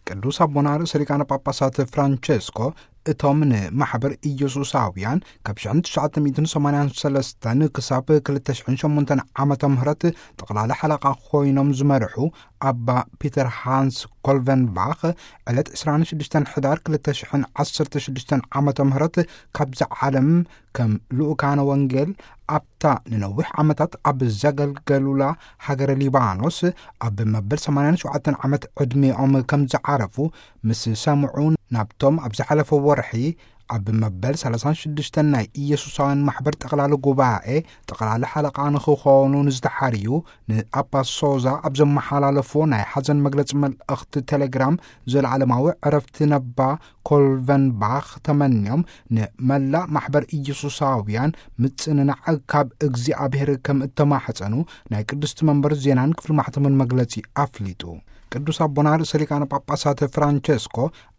ቅዱስ ኣቦና ርእሰ ሊቃነ ጳጳሳት ፍራንቸስኮ፣ እቶም ንማሕበር ኢየሱሳውያን ካብ ሽሕን ትሽዓተ ሚእትን ሰማንያን ሰለስተን ክሳብ ክልተ ሽሕን ሸሞንተን ዓመተ ምህረት ጠቕላሊ ሓለቓ ኮይኖም ዝመርሑ ኣባ ፒተር ሃንስ ኮልቨንባኽ፣ ዕለት ዕስራን ሽዱሽተን ሕዳር ክልተ ሽሕን ዓሰርተ ሽዱሽተን ዓመተ ምህረት ካብዛ ዓለም ከም ልኡካነ ወንጌል ኣብታ ንነዊሕ ዓመታት ኣብ ዘገልገሉላ ሃገረ ሊባኖስ ኣብ መበል ሰማንያን ሸውዓተን ዓመት ዕድሜኦም ከም ዝዓረፉ ምስ ሰምዑ፣ ናብቶም ኣብ ዝሓለፈ ወርሒ ኣብ መበል ሰላሳን ሽዱሽተን ናይ ኢየሱሳውያን ማሕበር ጠቕላሊ ጉባኤ ጠቕላሊ ሓለቓ ንኽኾኑ ንዝተሓርዩ ንኣባ ሶዛ ኣብ ዘመሓላለፎ ናይ ሓዘን መግለጺ መልእኽቲ ቴሌግራም፣ ዘለዓለማዊ ዕረፍቲ ነባ ኮልቨንባኽ ተመንዮም፣ ንመላእ ማሕበር ኢየሱሳውያን ምጽንናዕ ካብ እግዚኣብሔር ከም እተማሕጸኑ ናይ ቅድስቲ መንበር ዜናን ክፍሊ ማሕተምን መግለጺ ኣፍሊጡ። ቅዱስ ኣቦና ርእሰ ሊቃነ ጳጳሳት ፍራንቸስኮ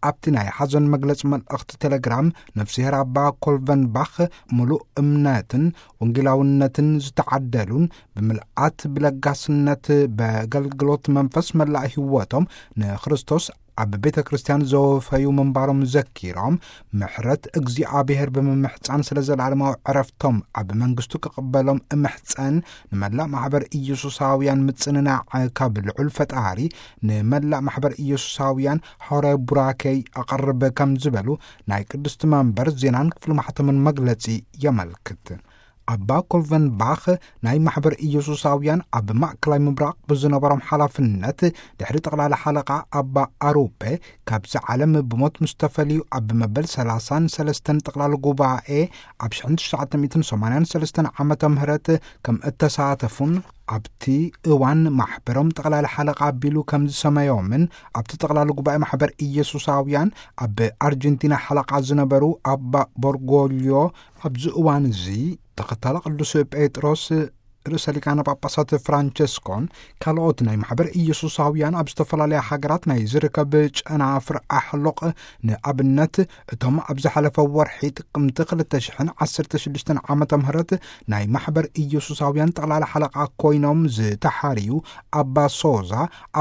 ኣብቲ ናይ ሓዘን መግለጺ መልእኽቲ ቴሌግራም፣ ነፍስሄር ኣባ ኮልቨንባኽ ምሉእ እምነትን ወንጌላውነትን ዝተዓደሉን ብምልኣት ብለጋስነት በገልግሎት መንፈስ መላእ ህይወቶም ንክርስቶስ ኣብ ቤተ ክርስቲያን ዘወፈዩ ምንባሮም ዘኪሮም፣ ምሕረት እግዚኣብሔር ብምምሕጻን ስለ ዘለዓለማዊ ዕረፍቶም ኣብ መንግስቱ ክቕበሎም እምሕጸን፣ ንመላእ ማሕበር ኢየሱሳውያን ምጽንናዕ ካብ ልዑል ፈጣሪ ንመላእ ማሕበር ኢየሱሳውያን ሐዋርያዊ ቡራኬይ ኣቐርብ ከም ዝበሉ ናይ ቅድስቲ መንበር ዜናን ክፍሊ ማሕተምን መግለጺ የመልክት። ኣባ ኮልቨንባኽ ናይ ማሕበር ኢየሱሳውያን ኣብ ማእከላይ ምብራቕ ብዝነበሮም ሓላፍነት፣ ድሕሪ ጠቕላሊ ሓለቓ ኣባ ኣሩፔ ካብዚ ዓለም ብሞት ምስ ተፈልዩ፣ ኣብ መበል ሰላሳን ሰለስተን ጠቕላሊ ጉባኤ ኣብ ሽሕን ትሽዓተ ሚእትን ሰማንያን ሰለስተን ዓመተ ምህረት ከም እተሳተፉን፣ ኣብቲ እዋን ማሕበሮም ጠቕላሊ ሓለቓ ኣቢሉ ከም ዝሰመዮምን፣ ኣብቲ ጠቕላሊ ጉባኤ ማሕበር ኢየሱሳውያን ኣብ ኣርጀንቲና ሓለቓ ዝነበሩ ኣባ ቦርጎልዮ፣ ኣብዚ እዋን እዚ ተኸታሊ ቅዱስ ጴጥሮስ ርእሰ ሊቃነ ጳጳሳት ፍራንቸስኮን ካልኦት ናይ ማሕበር ኢየሱሳውያን ኣብ ዝተፈላለያ ሃገራት ናይ ዝርከብ ጨናፍር ኣሕሉቕ፣ ንኣብነት እቶም ኣብ ዝሓለፈ ወርሒ ጥቅምቲ ክልተ ሽሕን ዓሰርተ ሽዱሽተን ዓመተ ምህረት ናይ ማሕበር ኢየሱሳውያን ጠቕላሊ ሓለቓ ኮይኖም ዝተሓርዩ ኣባ ሶዛ፣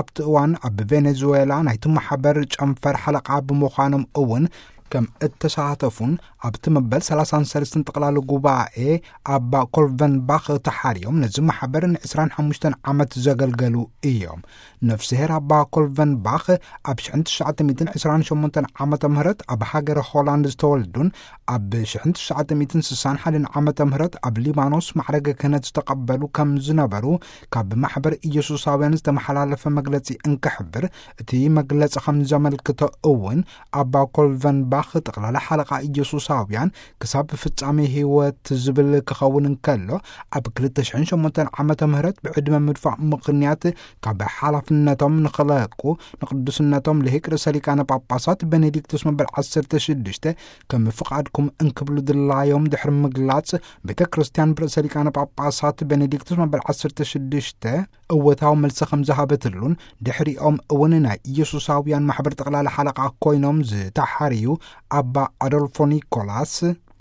ኣብቲ እዋን ኣብ ቬኔዙዌላ ናይቲ ማሕበር ጨንፈር ሓለቓ ብምዃኖም እውን ከም እተሳተፉን፣ ኣብቲ መበል ሰላሳን ሰለስተን ጠቕላሊ ጉባኤ ኣባ ኮልቨንባኽ ተሓርዮም ነዚ ማሕበር ንዕስራን ሓሙሽተን ዓመት ዘገልገሉ እዮም። ነፍስሄር ኣባ ኮልቨንባኽ ኣብ ሽሕን ትሽዓተ ሚእትን ዕስራን ሸሞንተን ዓመተ ምህረት ኣብ ሃገረ ሆላንድ ዝተወልዱን፣ ኣብ ሽሕን ትሽዓተ ሚእትን ስሳን ሓደን ዓመተ ምህረት ኣብ ሊባኖስ ማዕረገ ክህነት ዝተቐበሉ ከም ዝነበሩ ካብ ማሕበር ኢየሱሳውያን ዝተመሓላለፈ መግለጺ እንክሕብር፣ እቲ መግለጺ ከም ዘመልክቶ እውን፣ ኣባ ኮልቨንባኽ ጠቕላሊ ሓለቓ ኢየሱሳውያን ክሳብ ፍጻሜ ህይወት ዝብል ክኸውን እንከሎ፣ ኣብ ክልተ ሽሕን ሸሞንተን ዓመተ ምህረት ብዕድመ ምድፋእ ምኽንያት ካብ ሓላፍነቶም ንኽለቁ፣ ንቅዱስነቶም ልሂቅ ርእሰ ሊቃነ ጳጳሳት ቤኔዲክቱስ መበል ዓሰርተ ሽዱሽተ ከም ፍቓድኩም እንክብሉ ድላዮም ድሕሪ ምግላጽ፣ ቤተ ክርስቲያን ብርእሰ ሊቃነ ጳጳሳት ቤኔዲክቱስ መበል ዓሰርተ ሽዱሽተ እወታዊ መልሲ ከም ዝሃበትሉን፣ ድሕሪኦም እውን ናይ ኢየሱሳውያን ማሕበር ጠቕላሊ ሓለቓ ኮይኖም ዝተሓርዩ ኣባ ኣዶልፎ ኒኮላስ፣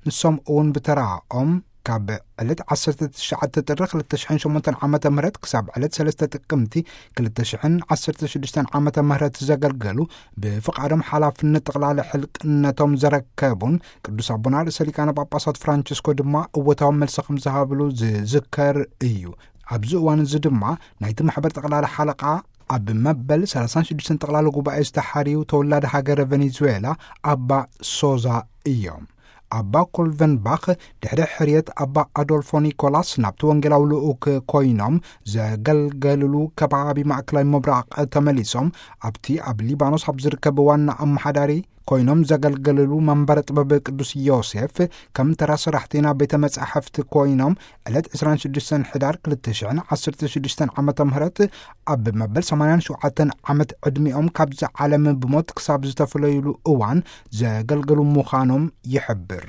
ንሶም እውን ብተራኦም ካብ ዕለት ዓሰርተ ትሽዓተ ጥሪ ክልተ ሽሕን ሸሞንተን ዓመተ ምህረት ክሳብ ዕለት ሰለስተ ጥቅምቲ ክልተ ሽሕን ዓሰርተ ሽዱሽተን ዓመተ ምህረት ዘገልገሉ፣ ብፍቓዶም ሓላፍነት ጠቕላሊ ሕልቅነቶም ዘረከቡን፣ ቅዱስ ኣቦና ርእሰ ሊቃነ ጳጳሳት ፍራንቸስኮ ድማ እወታዊ መልሲ ከም ዝሃብሉ ዝዝከር እዩ። ኣብዚ እዋን እዚ ድማ ናይቲ ማሕበር ጠቕላሊ ሓለቓ ኣብ መበል ሰላሳን ሽዱሽተን ጠቕላሊ ጉባኤ ዝተሓርዩ ተወላዲ ሃገረ ቬኔዙዌላ ኣባ ሶዛ እዮም። ኣባ ኮልቨንባኽ ድሕሪ ሕርየት ኣባ ኣዶልፎ ኒኮላስ ናብቲ ወንጌላዊ ልኡክ ኮይኖም ዘገልገልሉ ከባቢ ማእከላይ ምብራቕ ተመሊሶም፣ ኣብቲ ኣብ ሊባኖስ ኣብ ዝርከብ ዋና ኣመሓዳሪ ኮይኖም ዘገልገልሉ መንበረ ጥበብ ቅዱስ ዮሴፍ ከም ተራ ሰራሕተይና ቤተ መጻሕፍቲ ኮይኖም፣ ዕለት ዕስራን ሽዱሽተን ሕዳር ክልተ ሽሕን ዓሰርተ ሽዱሽተን ዓመተ ምህረት ኣብ መበል ሰማንያን ሸውዓተን ዓመት ዕድሚኦም ካብዚ ዓለም ብሞት ክሳብ ዝተፈለዩሉ እዋን ዘገልገሉ ምዃኖም ይሕብር።